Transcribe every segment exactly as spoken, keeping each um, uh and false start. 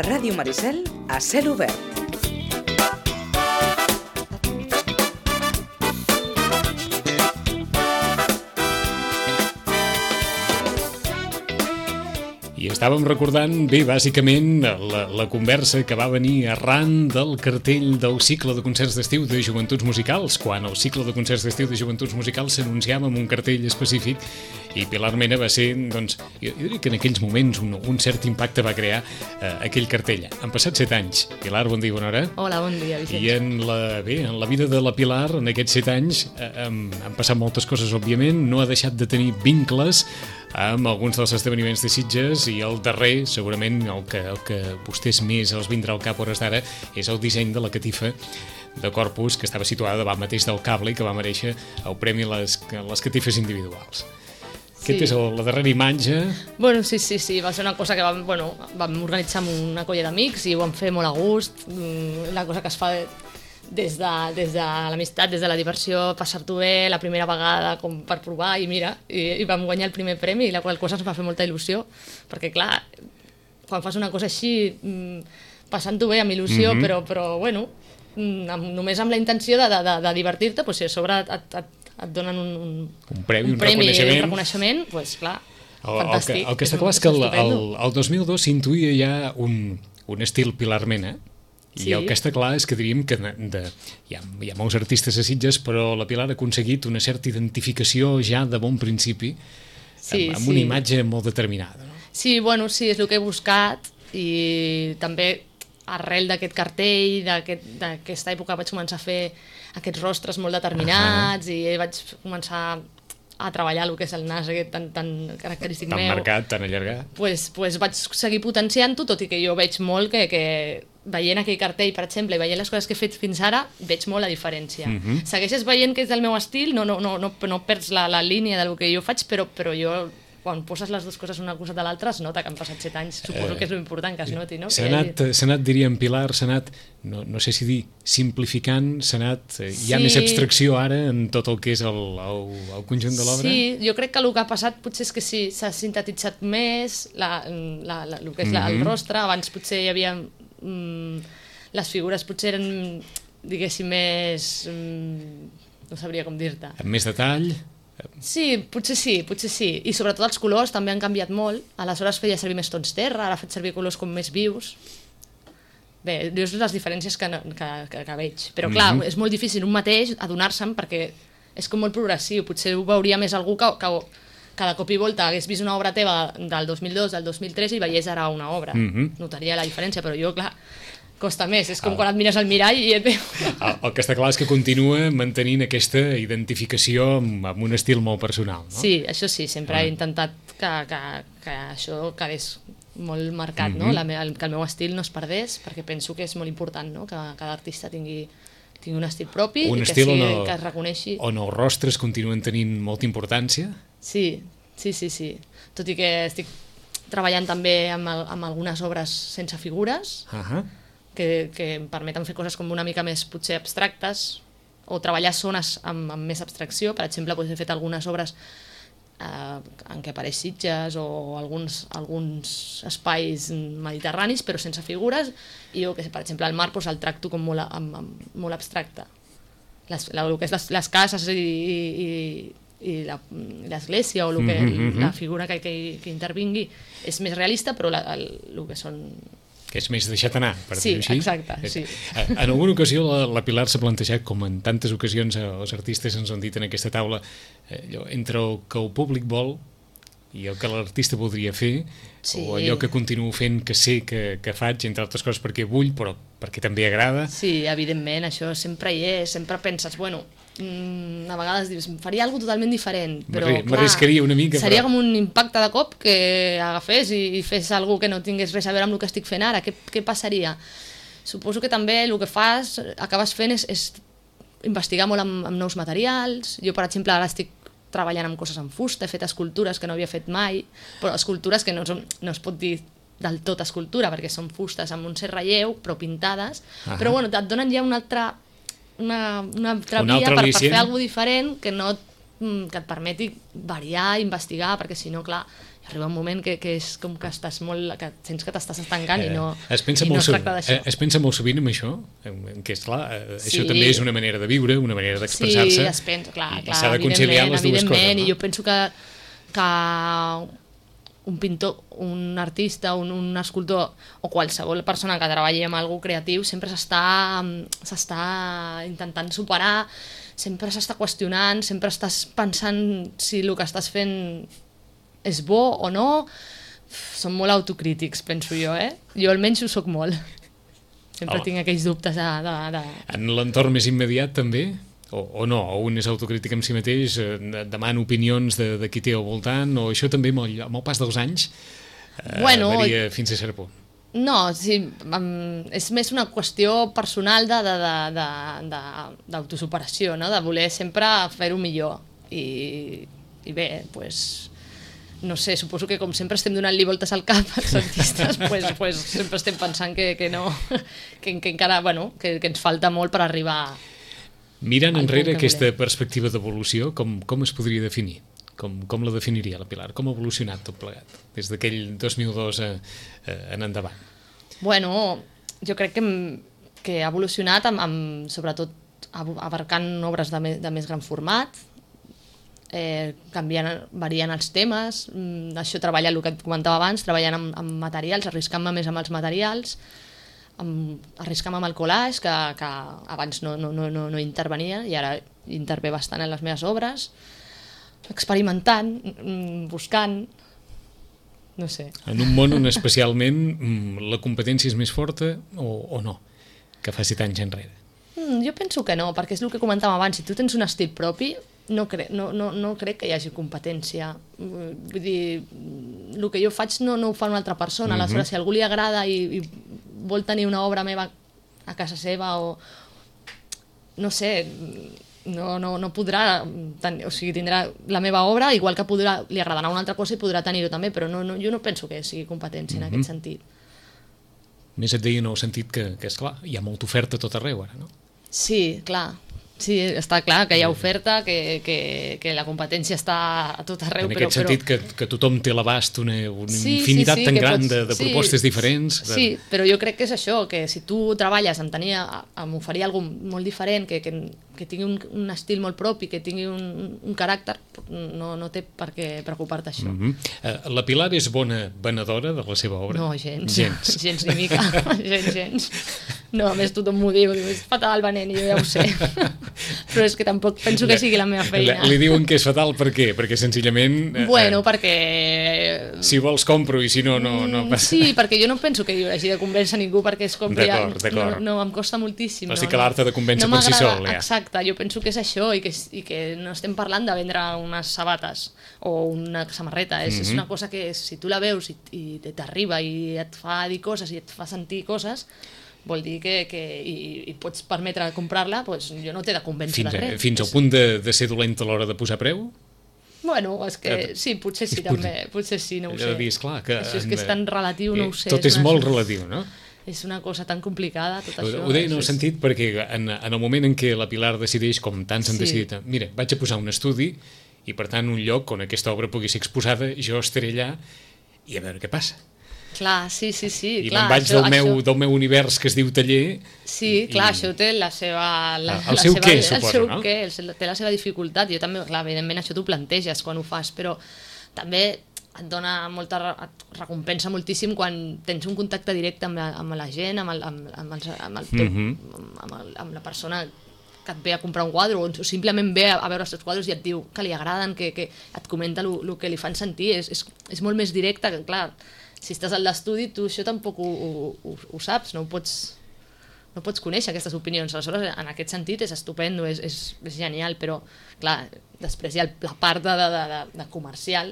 Ràdio Maricel a cel obert. I estàvem recordant, bé, bàsicament, la, la conversa que va venir arran del cartell del cicle de concerts d'estiu de Joventuts Musicals, quan el cicle de concerts d'estiu de Joventuts Musicals s'anunciava amb un cartell específic i Pilar Mena va ser, doncs, jo, jo diria que en aquells moments un, un cert impacte va crear eh, aquell cartell. Han passat set anys. Pilar, bon dia, bona hora. Hola, bon dia, Vicenç. I en la, bé, en la vida de la Pilar, en aquests set anys, eh, han, han passat moltes coses, òbviament, no ha deixat de tenir vincles amb alguns dels esdeveniments de Sitges i el darrer, segurament el que, el que vostès més els vindrà al cap hores d'ara, és el disseny de la catifa de Corpus, que estava situada davant mateix del cable i que va merèixer el premi a les, a les catifes individuals. Sí. Aquesta és el, la darrera imatge. Bueno, sí, sí, sí, va ser una cosa que vam, bueno, vam organitzar amb una colla d'amics i ho vam fer molt a gust, la cosa que es fa des de, des de l'amistat, des de la diversió, passar-t'ho bé la primera vegada com per provar i mira, i, i vam guanyar el primer premi, la qual cosa ens va fer molta il·lusió, perquè clar, quan fas una cosa així, passant-t'ho bé amb il·lusió, mm-hmm. però, però bueno, amb, només amb la intenció de, de, de divertir-te, doncs si a sobre et, et, et donen un, un, un premi, un, un, premi, reconeixement, un reconeixement, doncs clar, el, fantàstic. El que, el que està clar és que el, el, el dos mil dos s'intuïa ja un, un estil Pilar Mena. I sí. El que està clar és que diríem que de, de, hi, ha, hi ha molts artistes a Sitges, però la Pilar ha aconseguit una certa identificació ja de bon principi, sí, amb, amb sí. una imatge molt determinada. No? Sí, bueno, sí, és el que he buscat i també arrel d'aquest cartell, d'aquesta aquest, època vaig començar a fer aquests rostres molt determinats uh-huh. i vaig començar a treballar el que és el nas aquest tan, tan característic tan meu. Tan marcat, tan allargat. Pues, pues vaig seguir potenciant-ho, tot i que jo veig molt que, que veient aquell cartell, per exemple, i veient les coses que he fet fins ara, veig molt la diferència. Uh-huh. Segueixes veient que és del meu estil, no, no, no, no, no perds la, la línia del que jo faig, però, però jo, quan poses les dues coses una cosa de l'altra, es nota que han passat set anys. Suposo que és l'important que es noti, no? S'ha anat, s'ha anat, diríem, Pilar, s'ha anat, no, no sé si dir, simplificant, s'ha anat, sí. Hi ha més abstracció ara en tot el que és el, el, el conjunt de l'obra? Sí, jo crec que el que ha passat potser és que sí, s'ha sintetitzat més la, la, la, el que és la, el rostre. Abans potser hi havia... Mm, les figures potser eren, diguéssim, més... Mm, no sabria com dir-te. Amb més detall? Sí, potser sí, potser sí. I sobretot els colors també han canviat molt. Aleshores feia servir més tons terra, ara ha fet servir colors com més vius. Bé, dius les diferències que, que, que, que veig. Però clar, mm-hmm. és molt difícil un mateix adonar-se'n perquè és com molt progressiu. Potser ho veuria més algú que, que cada cop i volta hagués vist una obra teva del dos mil dos, del dos mil tres i veiés ara una obra. Mm-hmm. Notaria la diferència, però jo, clar... costa més, és com ah. quan et mires al mirall i et veu... El, el que està clar és que continua mantenint aquesta identificació amb, amb un estil molt personal, no? Sí, això sí, sempre ah. he intentat que, que, que això quedés molt marcat, mm-hmm. no? La me, el, que el meu estil no es perdés, perquè penso que és molt important, no? Que cada artista tingui, tingui un estil propi un i que, estil sigui, el, que es reconeixi. On els rostres continuen tenint molta importància? Sí, sí, sí, sí. Tot i que estic treballant també amb, el, amb algunes obres sense figures, uh-huh. que, que em permeten fer coses com una mica més potser abstractes o treballar zones amb, amb més abstracció. Per exemple, doncs he fet algunes obres eh, en què apareix Sitges o alguns, alguns espais mediterranis però sense figures i jo, que sé, per exemple, el mar doncs, el tracto com molt, amb, amb, molt abstracte. Les, la, el que és les, les cases i, i, i l'església o el que, mm-hmm. la figura que, que, que intervingui és més realista, però la, el, el que són... que és més deixat anar, per sí, dir-ho així. Exacte, sí. En alguna ocasió la, la Pilar s'ha plantejat, com en tantes ocasions els artistes ens han dit en aquesta taula, eh, allò, entre el que el públic vol i el que l'artista voldria fer, sí. o allò que continuo fent que sé que, que faig, entre altres coses perquè vull, però perquè també agrada. Sí, evidentment, això sempre hi és, sempre penses, bueno, mmm, a vegades dius, faria alguna totalment diferent, però m'arriscaria una mica. Seria però... com un impacte de cop que agafés i, i fes alguna que no tingués res a veure amb el que estic fent ara, què, què passaria? Suposo que també el que fas, acabes fent és, és investigar molt amb, amb nous materials. Jo, per exemple, ara estic treballant amb coses en fusta, he fet escultures que no havia fet mai, però escultures que no, són, no es pot dir del tot escultura, perquè són fustes amb un cert relleu, però pintades, uh-huh. però bueno, et donen ja una altra, una, una altra una via altra per, per fer alguna cosa diferent que no que et permeti variar, investigar, perquè si no, clar, arriba un moment que, que és com que estàs molt, que sents que t'estàs estancant eh, i no, es pensa i no molt es tracta d'això. Es pensa molt sovint en això, que és clar, sí. això també és una manera de viure, una manera d'expressar-se. Sí, es pensa, clar, clar, s'ha de conciliar les dues coses, no? I jo penso que, que un pintor, un artista, un, un escultor o qualsevol persona que treballi amb alguna cosa creatiu sempre s'està s'està intentant superar, sempre s'està qüestionant, sempre estàs pensant si el que estàs fent és bo o no. Són molt autocrítics, penso jo, eh? Jo almenys ho soc molt. Sempre oh. tinc aquells dubtes de... de, de... En l'entorn més immediat també? O, o no? O un és autocrític amb si mateix, eh, demana opinions de, de qui té al voltant, o això també amb el, amb el pas dels anys eh, bueno, varia fins a cert punt? No, sí, um, és més una qüestió personal d'autosuperació, no? De voler sempre fer-ho millor. I, i bé, doncs... Pues, no sé, suposo que com sempre estem donant-li voltes al cap als artistes, pues, pues sempre estem pensant que, que no, que, que encara, bueno, que, que ens falta molt per arribar. Mirant enrere aquesta volem. Perspectiva d'evolució, com, com es podria definir? Com, com la definiria la Pilar? Com ha evolucionat tot plegat? Des d'aquell dos mil dos a, a, en endavant. Bueno, jo crec que, que ha evolucionat amb, amb, sobretot abarcant obres de, me, de més gran format, Eh, canviant, variant els temes, mm, això treballar el que et comentava abans, treballant amb, amb materials, arriscant-me més amb els materials, amb, arriscant-me amb el collage, que, que abans no, no, no, no intervenia i ara intervé bastant en les meves obres, experimentant, mm, buscant, no sé. En un món on especialment la competència és més forta o, o no, que faci tants enrere? Mm, jo penso que no, perquè és el que comentàvem abans, si tu tens un estil propi, no crec, no, no, no crec que hi hagi competència. Vull dir, el que jo faig no, no ho fa una altra persona. Mm-hmm. Aleshores, si a algú li agrada i, i vol tenir una obra meva a casa seva o... no sé, no, no, no podrà tenir, o sigui, tindrà la meva obra, igual que podrà, li agradarà una altra cosa i podrà tenir-ho també, però no, no, jo no penso que sigui competència en mm-hmm. aquest sentit. Més et deia en el sentit que, que és clar, hi ha molta oferta a tot arreu ara, no? Sí, clar. Sí, està clar que hi ha oferta, que, que, que la competència està a tot arreu. En aquest però, sentit, però... que, que tothom té a l'abast una, una sí, infinitat sí, sí, tan gran pots... de, de propostes sí, diferents. De... Sí, però jo crec que és això, que si tu treballes en, tenir, en oferir alguna cosa molt diferent, que, que, que tingui un, un estil molt propi, que tingui un, un caràcter, no, no té per què preocupar-te això. Mm-hmm. uh, la Pilar és bona venedora de la seva obra? No, gens. Gens, gens ni mica. gens, gens. No, a més tothom m'ho diu, diu, és fatal venent, i jo ja ho sé. Però és que tampoc penso que sigui la meva feina. Li diuen que és fatal per què? Perquè senzillament... Eh, bueno, perquè... Si vols compro i si no, no, no passa. Sí, perquè jo no penso que jo hagi de convèncer ningú perquè es compri... D'acord, d'acord. No, no, em costa moltíssim. O sigui no, que l'art ha de convèncer no per si sol, ja. Exacte, jo penso que és això i que, i que no estem parlant de vendre unes sabates o una samarreta. És, mm-hmm. és una cosa que si tu la veus i, i t'arriba i et fa dir coses i et fa sentir coses... vol dir que, que i, i pots permetre comprar-la, doncs jo no t'he de convèncer fins, de res. Fins al punt de, de ser dolent a l'hora de posar preu? Bueno, és que sí, potser sí també, potser sí, no ho sé. Dir, esclar, que això és que és tan relatiu, no ho sé. Tot és, és molt una... relatiu, no? És una cosa tan complicada, tot ho, això. Ho deia en el sentit perquè en, en el moment en què la Pilar decideix, com tants han sí. decidit, mira, vaig a posar un estudi i per tant un lloc on aquesta obra pugui ser exposada, jo estaré allà i a veure què passa. Clar, sí, sí, sí. I clar, me'n vaig això, del, meu, això... del meu univers que es diu taller. Sí, i, clar, i... això té la seva... La, el la seu seva, què, el suposo, seu no? Què, el, té la seva dificultat. Jo també, clar, evidentment això t'ho planteges quan ho fas, però també et dona molta... et recompensa moltíssim quan tens un contacte directe amb la, amb la gent, amb, el, amb, amb, els, amb, el teu, mm-hmm. amb, amb, el, amb la persona que et ve a comprar un quadre o simplement ve a veure els teus quadres i et diu que li agraden, que, que et comenta el que li fan sentir. És, és, és molt més directe, que clar... Si estàs al l'estudi, tu això tampoc ho, ho, ho saps, no ho pots, no pots conèixer aquestes opinions. Aleshores, en aquest sentit, és estupendo, és, és, és genial, però, clar, després hi ha la part de, de, de, de comercial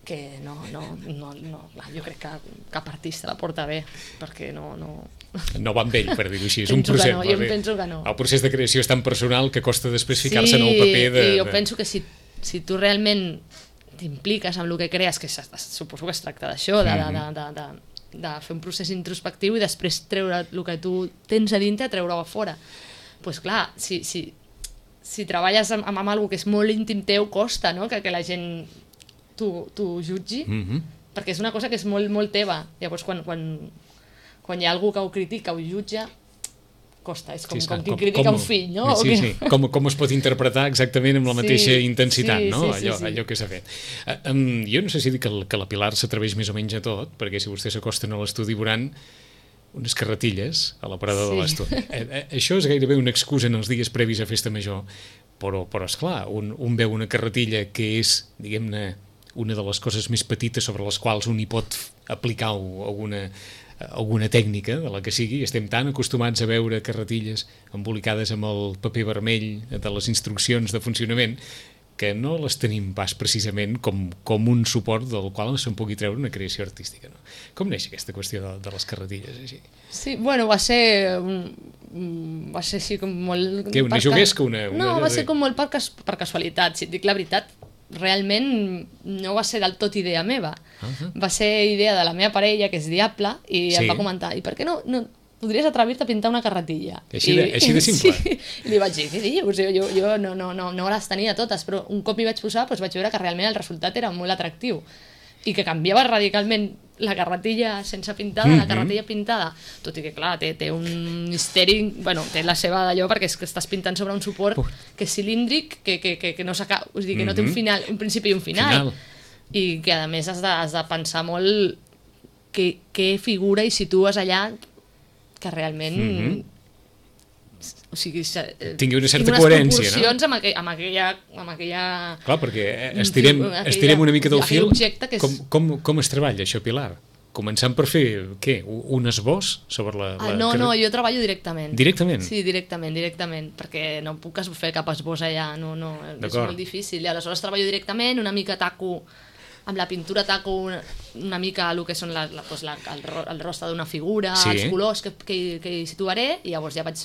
que no, no, no, no, jo crec que cap artista la porta bé, perquè no... No, no va amb ell, per dir-ho així, és un penso procés. Que no, jo em penso que no. El procés de creació és tan personal que costa després ficar-se sí, en el paper de... Sí, jo de... penso que si, si tu realment t'impliques amb el que crees, que suposo que es tracta d'això, de, de, de, de, de fer un procés introspectiu i després treure el que tu tens a dintre, treure-ho a fora. Doncs pues clar, si, si, si treballes amb, amb algo que és molt íntim teu, costa, no?, que, que la gent t'ho jutgi, mm-hmm. perquè és una cosa que és molt, molt teva. Llavors, quan, quan, quan hi ha algú que ho critica o ho jutja, costa. És com, sí, com qui com, critica com, un fill, no? Sí, sí. Com, com es pot interpretar exactament amb la mateixa sí, intensitat, sí, no? Sí, sí, allò, sí. allò que s'ha fet. Uh, um, jo no sé si dic que, que la Pilar s'atreveix més o menys a tot, perquè si vostès s'acosten a l'estudi veuran unes carretilles a l'aparador sí. de l'estudi. Eh, eh, això és gairebé una excusa en els dies previs a Festa Major, però, però esclar, un, un veu una carretilla que és, diguem-ne, una de les coses més petites sobre les quals un hi pot aplicar alguna, alguna tècnica, de la que sigui. Estem tan acostumats a veure carretilles embolicades amb el paper vermell de les instruccions de funcionament que no les tenim pas precisament com, com un suport del qual se'n pugui treure una creació artística. No? Com neix aquesta qüestió de, de les carretilles? Així? Sí, bueno, va ser... va ser així com molt... Que una juguesca? Una, una... No, va ser com molt per, cas, per casualitat. Si et dic la veritat, realment no va ser del tot idea meva. Uh-huh. Va ser idea de la meva parella, que és Diable, i sí. em va comentar, i per què no, no podries atrevir-te a pintar una carretilla? Així de, I, així de simple? Sí. I li vaig dir, què dius? Jo, jo, jo no, no, no, no les tenia totes, però un cop m'hi vaig posar doncs vaig veure que realment el resultat era molt atractiu i que canviava radicalment la carretilla sense pintada, mm-hmm. la carretilla pintada, tot i que clar, té, té un misteri, bueno, té la seva d'allò perquè és que estàs pintant sobre un suport uh. que és cilíndric, que, que, que, que no s'acaba, és dir, que mm-hmm. no té un final, un principi i un final, final. I que a més has de, has de pensar molt què, què figura i situes allà que realment mm-hmm. o sigui, tingui una certa coherència, no? Amb, aqu amb, aquella, amb aquella... Clar, perquè estirem, aquella, estirem una mica del fil. És... Com, com, com es treballa això, Pilar? Començant per fer, què, un esbós sobre la... la... Ah, no, no, jo treballo directament. Directament? Sí, directament, directament, perquè no puc fer cap esbós allà, no, no, és molt difícil. I aleshores treballo directament, una mica taco, amb la pintura taco una, una mica el que són la, la, doncs la, el, el rostre d'una figura, sí. els colors que, que, que hi situaré, i llavors ja vaig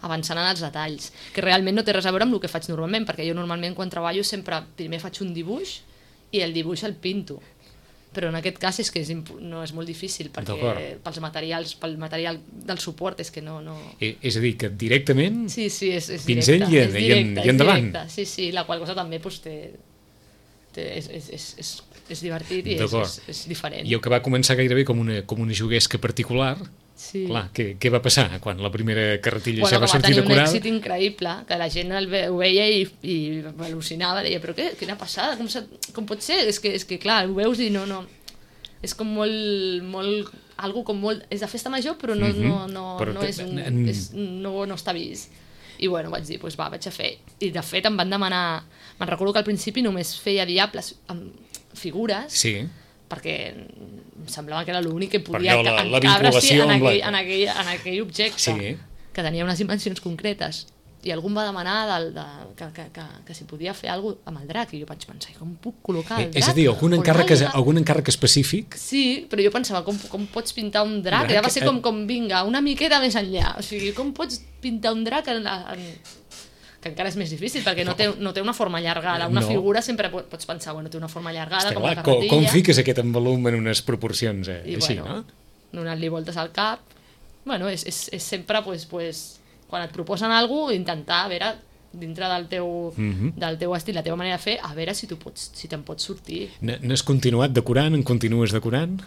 avançant en els detalls, que realment no té res a veure amb el que faig normalment, perquè jo normalment quan treballo sempre primer faig un dibuix i el dibuix el pinto, però en aquest cas és que és no és molt difícil perquè pels materials, pel material del suport és que no... no... I, és a dir, que directament sí, sí, és, és pincell directe, i, és directe, i endavant. Directe, sí, sí, la qual cosa també pues, té, té, és, és, és, és, és divertit i és, és, és diferent. I el que va començar gairebé com una, com una juguesca particular, sí. Clar, què, què va passar quan la primera carretilla bueno, ja va sortir decorada? Bueno, va tenir un èxit increïble, que la gent el ve, ho veia i, i al·lucinava, deia, però què, quina passada, com, com pot ser? És que, és que clar, ho veus i no, no, és com molt, molt, algo com molt, és de festa major, però no, mm-hmm. no, no, però no, és un, en... és, no, no està vist. I bueno, vaig dir, doncs va, vaig a fer. I de fet em van demanar, me'n recordo que al principi només feia diables amb figures, sí. perquè em semblava que era l'únic que podia la, la vinculació en, amb aquell, la... en, aquell, en aquell objecte, sí. que tenia unes dimensions concretes. I algú em va demanar del, de, que, que, que, que si podia fer alguna cosa amb el drac, i jo vaig pensar, com puc col·locar el drac? És a dir, algun encàrrec, algun encàrrec específic? Sí, però jo pensava, com, com pots pintar un drac? drac? Va ser com, com, vinga, una miqueta més enllà. O sigui, com pots pintar un drac en, en... que encara és més difícil, perquè no té, no té una forma allargada. Una no. figura sempre pots pensar, bueno, té una forma allargada, Està com clar, la carretilla. Com, com fiques aquest envolum en unes proporcions eh? I, així, bueno, no? Donant-li voltes al cap. Bueno, és, és, és sempre, pues, pues, quan et proposen alguna cosa, intentar, a veure, dintre del teu, mm-hmm. del teu estil, la teva manera de fer, a veure si tu pots, si te'n pots sortir. N'has continuat decorant? En continues decorant?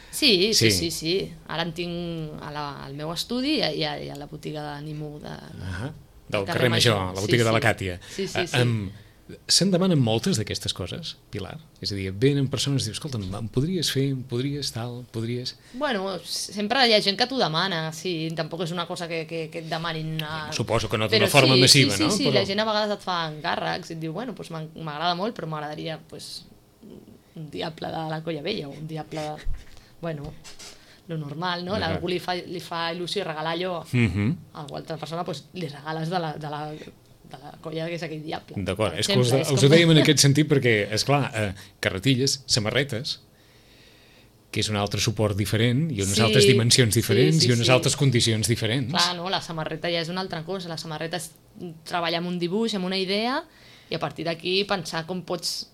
Sí, sí, sí, sí, sí. Ara en tinc a la, al meu estudi i a, i a la botiga d'Animo de, de, ah, del carrer Major, la botiga sí, de la sí. Càtia. Sí, sí, sí. Um, Se'n demanen moltes d'aquestes coses, Pilar? És a dir, venen persones i dius, escolta, em podries fer, em podries tal, podries... Bueno, sempre hi ha gent que t'ho demana, sí, tampoc és una cosa que, que, que et demanin... Una... Suposo que no d'una forma sí, massiva, sí, sí, no? Sí, sí, però... la gent a vegades et fa encàrrecs i et diu, bueno, pues m'agrada molt, però m'agradaria pues, un diable de la Colla Vella o un diable, bueno, lo normal, no? Uh-huh. Algú li fa, li fa il·lusió i regalar allò uh-huh. a alguna altra persona, pues, li regales de la... De la de la colla que és aquell diable. D'acord, és que us, és us com... ho dèiem en aquest sentit perquè, esclar, eh, carretilles, samarretes, que és un altre suport diferent i unes sí, altres dimensions diferents sí, sí, i unes sí. altres condicions diferents. Clar, no, la samarreta ja és una altra cosa. La samarreta és treballar amb un dibuix, amb una idea, i a partir d'aquí pensar com pots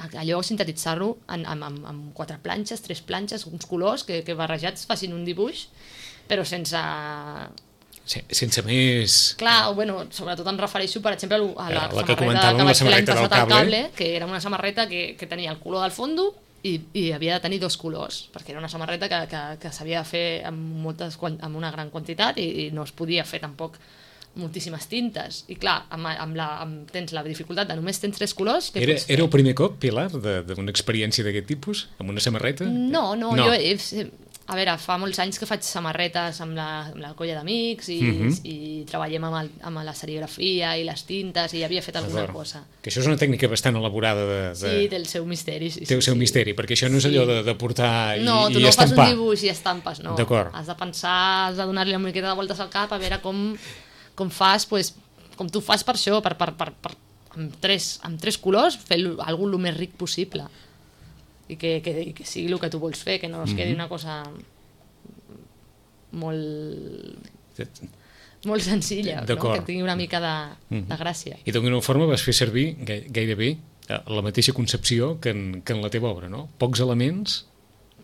allò sintetitzar-ho amb, amb, amb quatre planxes, tres planxes, uns colors que, que barrejats facin un dibuix, però sense... sense més... Clar, bueno, sobretot em refereixo, per exemple, a la, la samarreta que comentàvem, que la vaig fer l'any samarreta del passat al cable, cable, que era una samarreta que, que tenia el color del fondo i, i havia de tenir dos colors, perquè era una samarreta que, que, que s'havia de fer amb, moltes, amb una gran quantitat i, i no es podia fer tampoc moltíssimes tintes. I clar, amb, amb la, amb, tens la dificultat de només tens tres colors... Que era, era el primer cop, Pilar, d'una experiència d'aquest tipus, amb una samarreta? No, no, no. jo... He, a veure, fa molts anys que faig samarretes amb la, amb la colla d'amics i, uh-huh. i treballem amb, el, amb la serigrafia i les tintes i havia fet alguna cosa. Que això és una tècnica bastant elaborada de... de... Sí, té el seu misteri. Sí, té el sí, seu sí. misteri, perquè això no és allò de, de portar i, no, i estampar. No, tu no estampar. fas un dibuix i estampes, no. D'acord. Has de pensar, has de donar-li una miqueta de voltes al cap a veure com, com fas, pues, com tu fas per això, per, per, per, per, amb, tres, amb tres colors, fer alguna cosa el més ric possible. I que, que, i que sigui el que tu vols fer, que no es quedi mm-hmm. una cosa... molt molt senzilla, no? Que tingui una mica de, mm. de gràcia. I d'alguna forma vas fer servir gairebé la mateixa concepció que en, que en la teva obra, no? Pocs elements,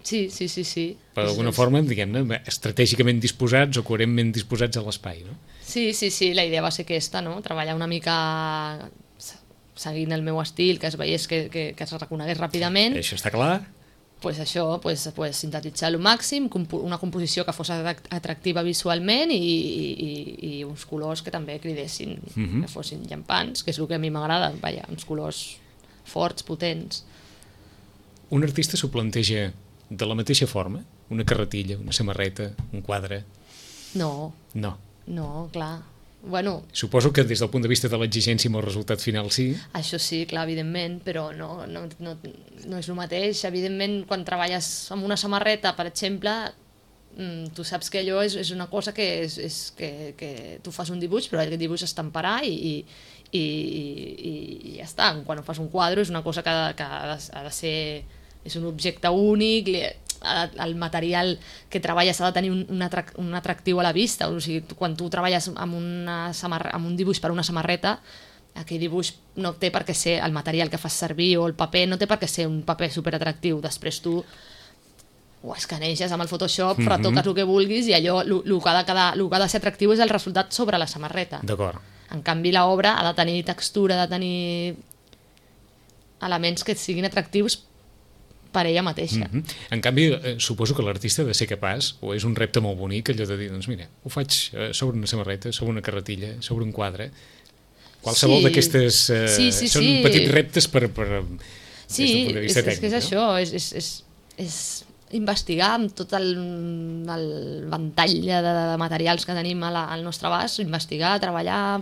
sí, sí, sí, sí. però d'alguna forma, diguem-ne, estratègicament disposats o coherentment disposats a l'espai, no? Sí, sí, sí, la idea va ser aquesta, no? Treballar una mica seguint el meu estil, que es veiés que, que, que es reconegués ràpidament. Això està clar. Pues això, pues, pues, sintetitzar al màxim, una composició que fos atractiva visualment i, i, i uns colors que també cridessin, uh-huh. que fossin llampants, que és el que a mi m'agrada, vaja, uns colors forts, potents. Un artista s'ho planteja de la mateixa forma? Una carretilla, una samarreta, un quadre? No. No. No, clar. Bueno, suposo que des del punt de vista de l'exigència amb el resultat final sí. Això sí, clar, evidentment, però no, no, no, no és el mateix. Evidentment, quan treballes amb una samarreta, per exemple, tu saps que allò és, és una cosa que, és, és que, que tu fas un dibuix, però aquest dibuix estamparà i, i, i, i, i ja està. Quan fas un quadre és una cosa que, que ha, de, ha de ser... és un objecte únic, el material que treballes ha de tenir un, un, atrac, un atractiu a la vista. O sigui, quan tu treballes amb, una samarre, amb un dibuix per una samarreta, aquell dibuix no té per què ser el material que fas servir o el paper, no té per què ser un paper superatractiu. Després tu ho escaneges amb el Photoshop, mm-hmm. retoques el que vulguis i allò, el que, ha de quedar, el que ha de ser atractiu és el resultat sobre la samarreta. D'acord. En canvi, l'obra ha de tenir textura, ha de tenir elements que siguin atractius per ella mateixa. Mm-hmm. En canvi, eh, suposo que l'artista ha de ser capaç, o és un repte molt bonic, allò de dir, doncs mira, ho faig eh, sobre una samarreta, sobre una carretilla, sobre un quadre. Qualsevol sí. d'aquestes... Eh, sí, sí, són sí. petits reptes per, per, sí, des del punt de vista és, tècnic. Sí, és que és no? això, és, és, és, és investigar amb tot el, el ventall de, de materials que tenim a la, al nostre abast, investigar, treballar,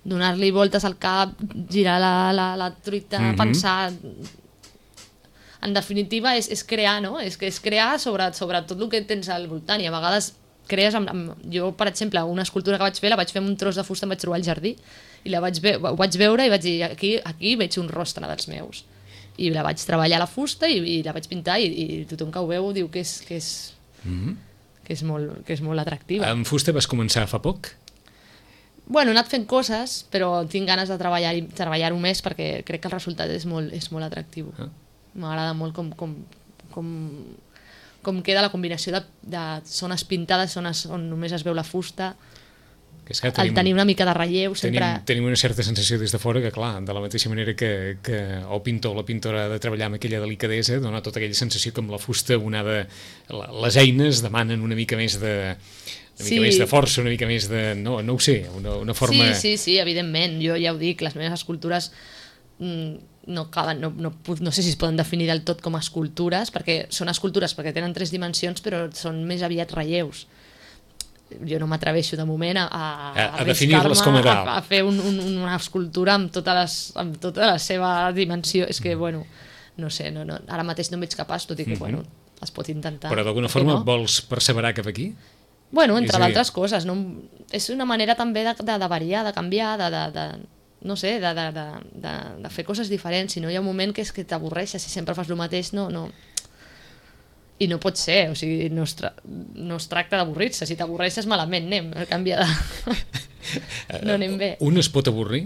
donar-li voltes al cap, girar la, la, la truita, mm-hmm. pensar... En definitiva, és, és crear, no? És, és crear sobre, sobre tot el que tens al voltant i a vegades crees amb, amb... Jo, per exemple, una escultura que vaig fer, la vaig fer amb un tros de fusta, em vaig trobar al jardí i la vaig, ve ho vaig veure i vaig dir, aquí, aquí veig un rostre dels meus. I la vaig treballar a la fusta i, i la vaig pintar i, i tothom que ho veu diu que és, que és, mm-hmm. que és, molt, que és molt atractiva. Amb fusta vas començar fa poc? Bueno, he anat fent coses, però tinc ganes de treballar-ho treballar més perquè crec que el resultat és molt, és molt atractiu. Ah. M'agrada molt com, com, com, com queda la combinació de, de zones pintades, zones on només es veu la fusta, que és que tenim, el tenir una mica de relleu sempre... Tenim, tenim una certa sensació des de fora que, clar, de la mateixa manera que, que el pintor o la pintora ha de treballar amb aquella delicadesa, dona tota aquella sensació que amb la fusta una de... les eines demanen una mica més de... una mica sí. més de força, una mica més de... no, no ho sé, una, una forma... Sí, sí, sí, evidentment, jo ja ho dic, les meves escultures mmm, no, acaben, no, no, no sé si es poden definir del tot com a escultures, perquè són escultures perquè tenen tres dimensions, però són més aviat relleus. Jo no m'atreveixo de moment a, a, a, a definir-les com a tal. A, a fer un, un, una escultura amb tota, les, amb tota la seva dimensió. És que, bueno, no sé, no, no, ara mateix no em veig capaç, tot i que, mm-hmm. bueno, es pot intentar. Però d'alguna forma no? Vols perseverar cap aquí? Bueno, entre d'altres coses. No? És una manera també de, de, de variar, de canviar, de... de, de no sé, de, de, de, de, de fer coses diferents, si no hi ha un moment que és que t'avorreixes, si sempre fas el mateix, no, no... I no pot ser, o sigui, no es, tra no es tracta d'avorrir-se, si t'avorreixes malament anem, a canviar de... no anem bé. Un es pot avorrir?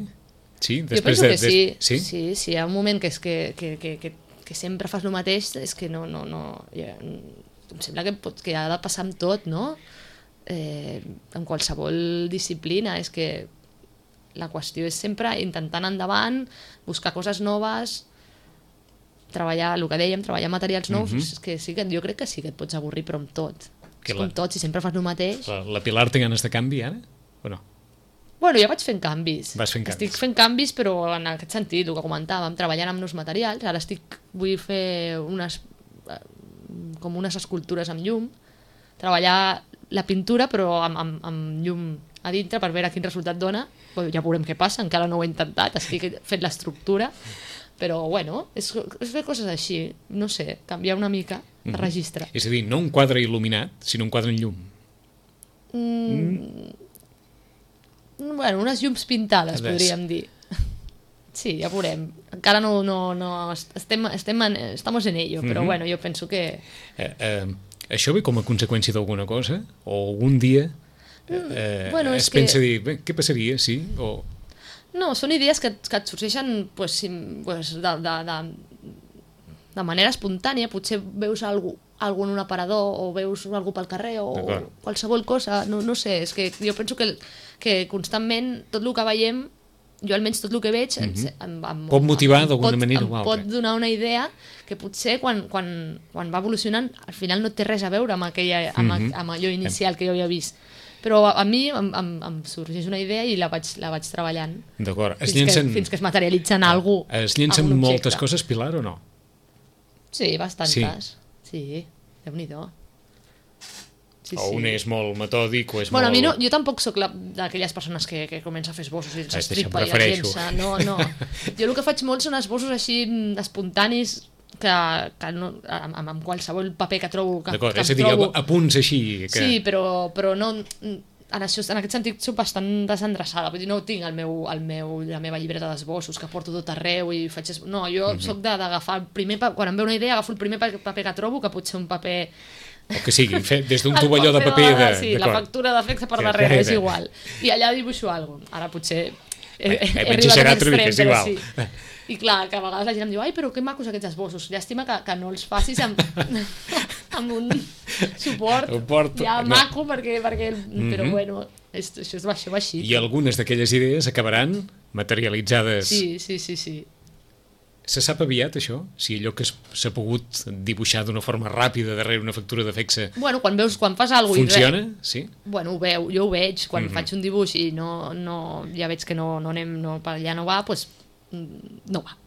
Sí? Jo penso de, que sí. sí, sí, sí, hi ha un moment que és que, que, que, que, que sempre fas el mateix, és que no... no, no ja, em sembla que, pot, que ha de passar amb tot, no? eh, en qualsevol disciplina, és que la qüestió és sempre intentar anar endavant, buscar coses noves, treballar, el que dèiem, treballar materials nous, mm -hmm. és que sí que jo crec que sí que et pots avorrir, però amb tot. Que és la... com tot, si sempre fas el mateix... La, la Pilar té ganes de canvi, ara? O no? Bueno, jo vaig fent canvis. Vas fent canvis. Estic fent canvis, però en aquest sentit, el que comentàvem, treballant amb nous materials. Ara estic, vull fer unes, com unes escultures amb llum, treballar la pintura, però amb, amb, amb llum a dintre per veure quin resultat dona. Bueno, ja veurem què passa, encara no ho he intentat, estic fent l'estructura, però bueno, és, és fer coses així, no sé, canviar una mica de registre. Mm -hmm. És a dir, no un quadre il·luminat, sinó un quadre en llum. Mm... Mm. Bueno, unes llums pintades, Ves. podríem dir. Sí, ja veurem. Encara no... no, no estem, estem en, estamos en ello, però mm -hmm. bueno, jo penso que... Eh, eh, això ve com a conseqüència d'alguna cosa? O algun dia eh, bueno, es pensa que... dir, bé, què passaria, sí? O... No, són idees que, que et sorgeixen pues, pues, de, de, de, de manera espontània. Potser veus algú, algú en un aparador o veus algú pel carrer o qualsevol cosa. No, no sé, és que jo penso que, que constantment tot el que veiem, jo almenys tot el que veig, mm-hmm. em, em, pot motivar d'alguna manera o altra. Em pot donar una idea que potser quan, quan, quan va evolucionant al final no té res a veure amb, aquella, amb, mm-hmm. amb allò inicial que jo havia vist. Però a, a mi em, em, em sorgeix una idea i la vaig, la vaig treballant. D'acord. Fins, llencen... que, fins que es materialitza en algú. Es llencen moltes coses, Pilar, o no? Sí, bastantes. Sí, sí, Déu-n'hi-do. Sí, o un sí. és molt metòdic o és bueno, molt... A mi no, jo tampoc sóc d'aquelles persones que, que comença a fer esbossos i els ah, estripa i els llença. No, no. Jo el que faig molt són esbossos així espontanis que, que no, amb, amb qualsevol paper que trobo que, D'acord, que és a dir, trobo. a punts així que... Sí, però, però no en, això, en aquest sentit soc bastant desendreçada, vull dir, no tinc el meu, el meu, la meva llibreta d'esbossos que porto tot arreu i faig... No, jo mm -hmm. soc d'agafar el primer paper, quan em ve una idea agafo el primer paper que trobo, que pot ser un paper... O que sigui, fet des d'un tovalló de paper de... Sí, la factura d'efecte per darrere, és igual. I allà dibuixo alguna cosa. Ara potser he, he, he arribat a l'extrem, però sí. I clar, que a vegades la gent em diu ai, però que macos aquests esbossos. Llàstima que, que no els facis amb, amb un suport Suport, ja no. maco, perquè, perquè mm-hmm. però bueno, és, això, és, això va així. I algunes d'aquelles idees acabaran materialitzades. Sí, sí, sí, sí. Se sap aviat, això? Si allò que s'ha pogut dibuixar d'una forma ràpida darrere una factura de fexe... Bueno, quan veus, quan fas alguna cosa... Funciona? Sí? Bueno, ho veu, jo ho veig. Quan mm-hmm. faig un dibuix i no, no, ja veig que no, no anem, no, per allà no va, doncs no va.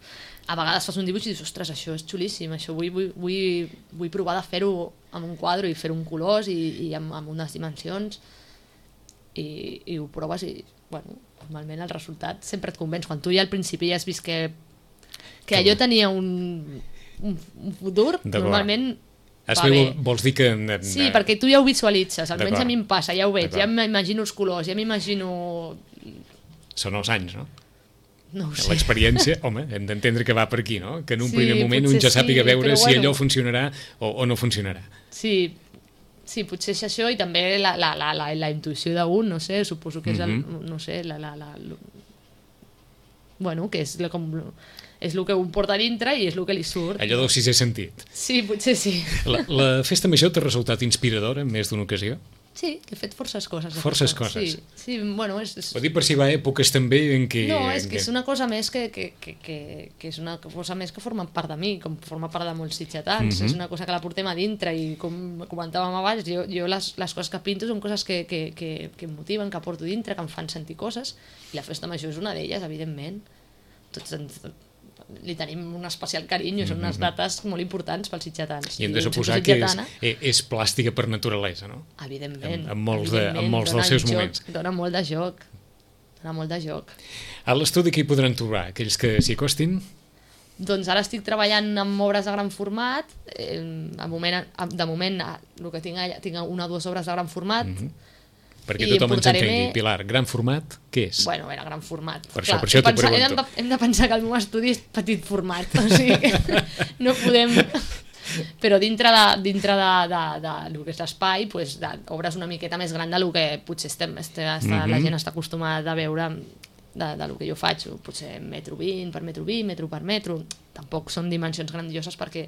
A vegades fas un dibuix i dius, ostres, això és xulíssim, això vull, vull, vull, vull provar de fer-ho amb un quadre i fer-ho en colors i, i amb, amb unes dimensions i, i ho proves i, bueno, normalment el resultat sempre et convenç. Quan tu ja al principi ja has vist que que allò tenia un, un, un futur, normalment va bé. Vols dir que... Sí, perquè tu ja ho visualitzes, almenys a mi em passa, ja ho veig, ja m'imagino els colors, ja m'imagino... Són els anys, no? No ho sé. L'experiència, home, hem d'entendre que va per aquí, no? Que en un sí, primer moment un ja sàpiga sí, veure si bueno, allò funcionarà o, o no funcionarà. Sí, sí, potser és això i també la, la, la, la, la intuïció d'un, no sé, suposo que és el, mm-hmm. no sé, la, la, la, la... bueno, que és la, com... és el que un porta dintre i és el que li surt. Allò del sisè sentit. Sí, potser sí. La, la festa major t'ha resultat inspiradora en més d'una ocasió? Sí, he fet forces coses. Forces coses. Sí, sí, bueno, és... és... Ho dic per si va a èpoques també en què... No, és que que és una cosa més que, que, que, que, que és una cosa més que forma part de mi, com forma part de molts sitgetans. Mm-hmm. És una cosa que la portem a dintre i com comentàvem abans, jo, jo les, les coses que pinto són coses que, que, que, que em motiven, que porto dintre, que em fan sentir coses, i la festa major és una d'elles, evidentment. Tots ens... li tenim un especial carinyo, són unes dates molt importants pels sitgetans. I hem de suposar que és, és plàstica per naturalesa, no? Evidentment. En, en molts, de, en molts dels seus joc, moments. Dona molt de joc. Dona molt de joc. A l'estudi què hi podran trobar? Aquells que s'hi acostin? Doncs ara estic treballant amb obres de gran format. Eh, de moment, de moment el que tinc allà, tinc una o dues obres de gran format. Mm-hmm. I perquè tothom ens entengui. Pilar, gran format, què és? Bueno, era gran format. Per això, per això t'ho pregunto. Hem de, hem de pensar que el meu estudi és petit format, o sigui que no podem... Però dintre de, dintre de, de, de, de lo que és l'espai, pues, obres una miqueta més gran del que potser estem, estem, mm-hmm. la gent està acostumada a veure de, de lo que jo faig, potser metro vint per metro vint, metro per metro. Tampoc són dimensions grandioses perquè,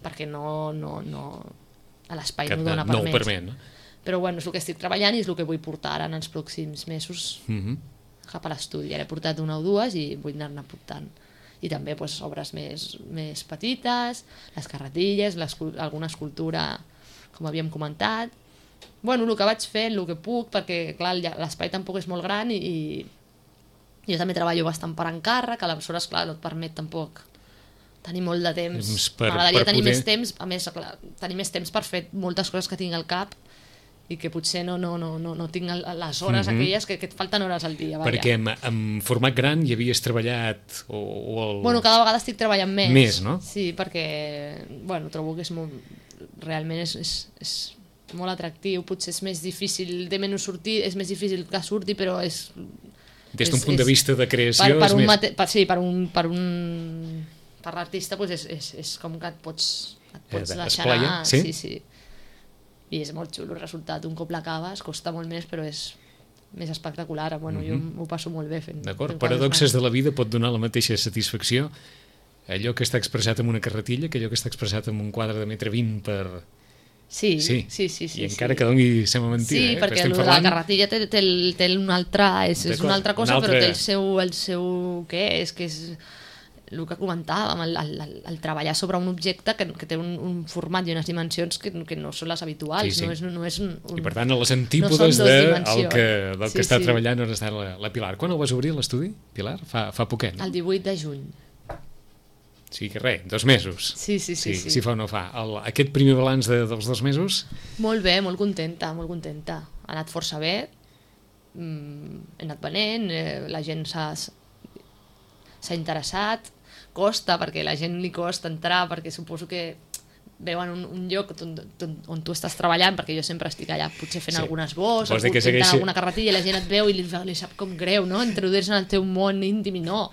perquè no, no, no, a l'espai no dona per no més. Permet, no? Però bueno, és el que estic treballant i és el que vull portar ara en els pròxims mesos Mm-hmm. cap a l'estudi. Ara he portat una o dues i vull anar-ne portant. I també pues, obres més, més petites, les carretilles, alguna escultura, com havíem comentat. Bueno, el que vaig fent, el que puc, perquè clar, l'espai tampoc és molt gran i, i jo també treballo bastant per encàrrec, que aleshores, clar, no et permet tampoc tenir molt de temps. M'agradaria tenir poder... més temps, a més, clar, tenir més temps per fer moltes coses que tinc al cap i que potser no, no, no, no, no tinc les hores mm-hmm. aquelles que, que et falten hores al dia. Vaja. Perquè en, en format gran hi havies treballat o, o el... Bueno, cada vegada estic treballant més. Més, no? Sí, perquè bueno, trobo que és molt... realment és, és, és molt atractiu, potser és més difícil de menys sortir, és més difícil que surti, però és... Des d'un punt és, de vista de creació... Per, per és un més... mate... per, sí, per un... Per, un, per l'artista pues és, és, és com que et pots, et pots eh, deixar anar. Sí? Sí, sí. I és molt xulo el resultat. Un cop l'acabes costa molt més, però és més espectacular. Bueno, mm-hmm. Jo m'ho passo molt bé fent. D'acord, paradoxes de la vida pot donar la mateixa satisfacció allò que està expressat en una carretilla que allò que està expressat en un quadre de metre vint per... Sí, sí, sí, sí, sí. I encara sí. Que doni sembla mentida. Sí, eh? perquè la carretilla té, té, té una altra... És, és una altra cosa, una altra... però té el seu... El seu què és? Que és el que comentàvem, el, el, el, el treballar sobre un objecte que, que té un, un format i unes dimensions que, que no són les habituals. Sí, sí. No és, no és un, un... I per tant, a les antípodes no de, el que, del sí, que està sí. treballant on està la, la Pilar. Quan el vas obrir, l'estudi, Pilar? Fa, fa poquet, no? El divuit de juny. Sí que res, dos mesos. Sí, sí, sí. sí, sí. Si fa o no fa. El, aquest primer balanç de, dels dos mesos? Molt bé, molt contenta, molt contenta. Ha anat força bé, mm, he anat venent, eh, la gent s'ha s'ha interessat, costa, perquè a la gent li costa entrar, perquè suposo que veuen un, un lloc on, on, on tu estàs treballant, perquè jo sempre estic allà potser fent sí. algunes bosses, o pintant segueixi... alguna carretilla i la gent et veu i li, li sap com greu, no? Introduir-se en el teu món íntim i no.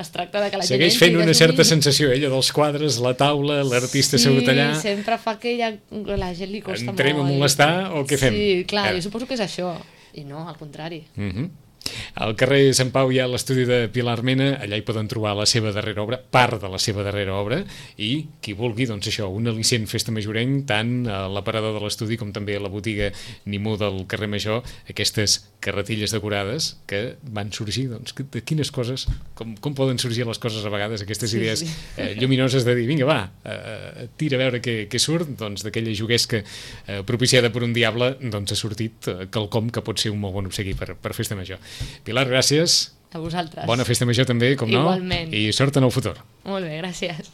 Es tracta de que la segueix gent... Segueix fent una certa sensació, ella, dels quadres, la taula, l'artista sí, assegut allà... Sí, sempre fa que ja, la gent li costa Entrem molt. Entrem a molestar o què fem? Sí, clar, eh. jo suposo que és això. I no, al contrari. Mhm. Mm al carrer Sant Pau hi ha l'estudi de Pilar Mena, allà hi poden trobar la seva darrera obra, part de la seva darrera obra, i qui vulgui, doncs això, un al·licient festa majoreny, tant a l'aparador de l'estudi com també a la botiga Nimú del carrer Major, aquestes carretilles decorades que van sorgir, doncs, de quines coses, com, com poden sorgir les coses a vegades, aquestes sí, idees sí. Eh, lluminoses de dir, vinga, va, eh, tira a veure què, què surt, doncs d'aquella juguesca eh, propiciada per un diable, doncs ha sortit eh, quelcom que pot ser un molt bon obsequi per, per festa major. Pilar, gràcies. A vosaltres. Bona festa major també, com no? Igualment. I sort en el futur. Molt bé, gràcies.